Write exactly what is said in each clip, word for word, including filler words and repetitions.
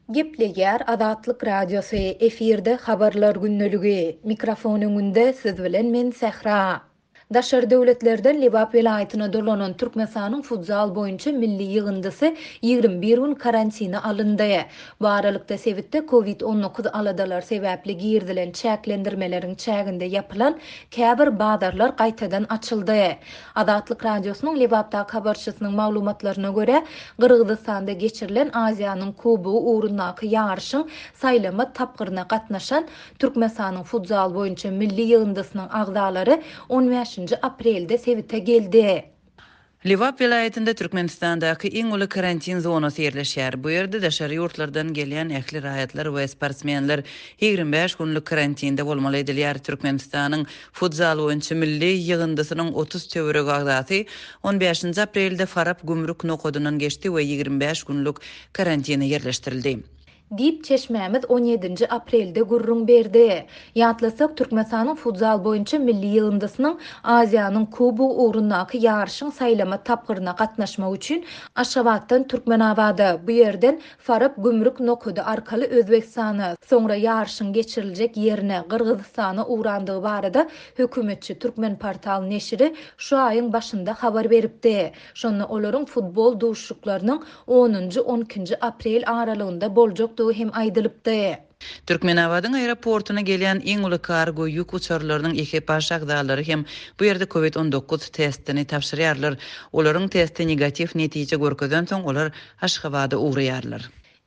Gepleýär Azatlyk Radiosy, efirde Habarlar gündeligi. Mikrofon öňünde siz bilen men Sähra. Daşary döwletlerden Lebap welaýatyna dolanan Türkmenistanyň futzal boýunça milli ýygyndysy ýigrimi bir gün karantine alyndy. Bu aralykda sebitde Covid on dokuz aladalar sebäpli girizilen çäklendirmeleriň çäginde ýapylan käbir bazarlar gaýtadan açyldy. Azatlyk Radiosynyň Lebapdaky habarçysynyň maglumatlaryna görä, Gyrgyzystanda geçirilen Aziýanyň Kubogy ugrundaky ýaryşyň saýlama tapgyryna gatnaşan Türkmenistanyň futzal boýunça milli ýygyndysynyň agzalary on bäşinji aprelde sebite geldi. Lebap welaýatynda Türkmenistandaky iň uly karantin zonasy ýerleşýär. Bu ýerde daşary ýurtlardan gelýän ähli raýatlar we sportsmenler ýigrimi bäş günlük karantinde bolmaly edilýär. Türkmenistanyň futzal boýunça milli ýygyndysynyň otuz töweregi agzasy on bäşinji aprelde Farap gümrük nokadyndan geçdi we ýigrimi bäş günlük karantine ýerleşdirildi. Diýip çeşmämiz on ýedinji aprelde gürrüň berdi. Ýatlasak, Türkmenistanyň futzal boýunça milli ýygyndysynyň Aziýanyň Kubogy ugrundaky ýaryşyň saýlama tapgyryna gatnaşmak üçin Aşgabatdan Türkmenabada, bu ýerden Farap gümrük nokady arkaly Özbegistana, soňra ýaryşyň geçiriljek ýerine Gyrgyzystana ugrandygy barada hökümetçi Türkmenportal neşiri şu aýyň başynda habar beripdi. Şonda olaryň futbol duşuşyklarynyň onunjy on ikinji aprel aralygynda boljak hem aýdylypdy. Türkmenabadyň aeroportuna gelýän iň uly kargo ýük uçarlarynyň ekipaž agzalary hem bu ýerde Covid on dokuz testini tabşyrýarlar. Olaryň testi negatiw netije görkezen soň olar Aşgabada ugraýarlar.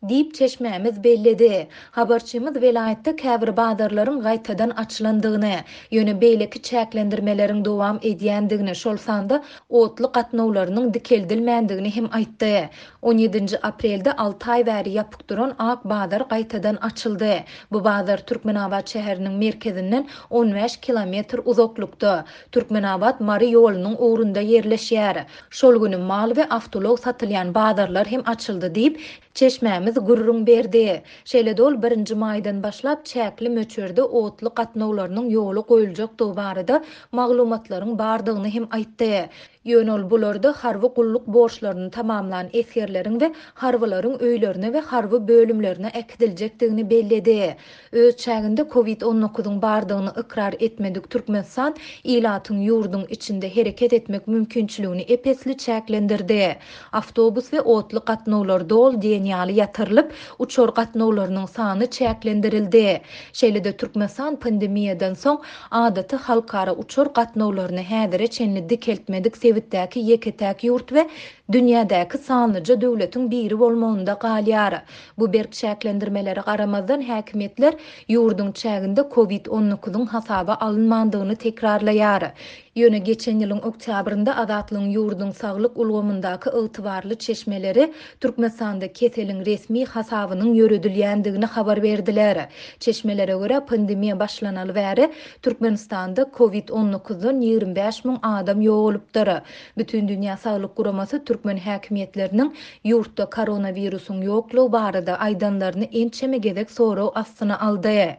Diýip çeşmämiz belledi. Habarçymyz welaýatda käbir bazarlaryň gaýtadan açylandygyny, ýöne beýleki çäklendirmeleriň dowam edýändigini, şol sanda otly gatnawlarynyň dikeldilmändigini hem aýtdy. on ýedinji aprelde alty aý bäri ýapyk duran Ak bazar gaýtadan açyldy. Bu bazar Türkmenabat şäheriniň merkezinden on bäş kilometr uzaklykda, Türkmenabat Mary ýolunyň ugrunda ýerleşýär. Şol günü mal we awtoulag satylýan bazarlar hem açyldy diýip, çeşmämiz gürrüň berdi. Şeýle-de ol birinji maýdan başlap çäkli möçberde otly gatnawlarynyň ýoly goýuljakdygy barada maglumatlaryň bardygyny hem aýtdy. Ýöne ol bularda harby gulluk borçlaryny tamamlan esgerleriň we harbylaryň öýlerine we harby bölümlerine äkidiljekdigini belledi. Öz çäginde Covid on dokuzyň bardygyny ykrar etmedik Türkmenistan ilatyň ýurduň içinde hereket etmek mümkinçiligini epesli çäklendirdi. Awtobus we otly gatnawlar dol diýen ýaly ýatyrylyp, uçar gatnawlarynyň sany çäklendirildi. Şeýle-de Türkmenistan pandemiýadan soň adaty halkara uçar gatnawlaryny häzire çenli dikeltmedik sebitdäki ýeke-täk ýurt we dünýädäki sanlyja döwletiň biri bolmagynda galýar. Bu berk çäklendirmelere garamazdan häkimiýetler ýurduň çäginde Covid on dokuzyň hasaba alynmandygyny tekrarlaýar. Ýöne geçen ýylyň oktýabrynda Azatlygyň ýurduň saglyk ulgamyndaky ygtybarly çeşmeleri Türkmenistanda keseliň resmi hasabynyň ýöredilýändigini habar berdiler. Çeşmelere görä pandemiýa başlanaly bäri Türkmenistanda Covid on dokuzdan ýigrimi bäş müň adam ýogalypdyr. Bütün Dünýä Saglyk Guramasy türkmen häkimiýetleriniň ýurtda koronawirusyň ýoklugy barada aýdanlaryny ençeme gezek sorag astyna aldy.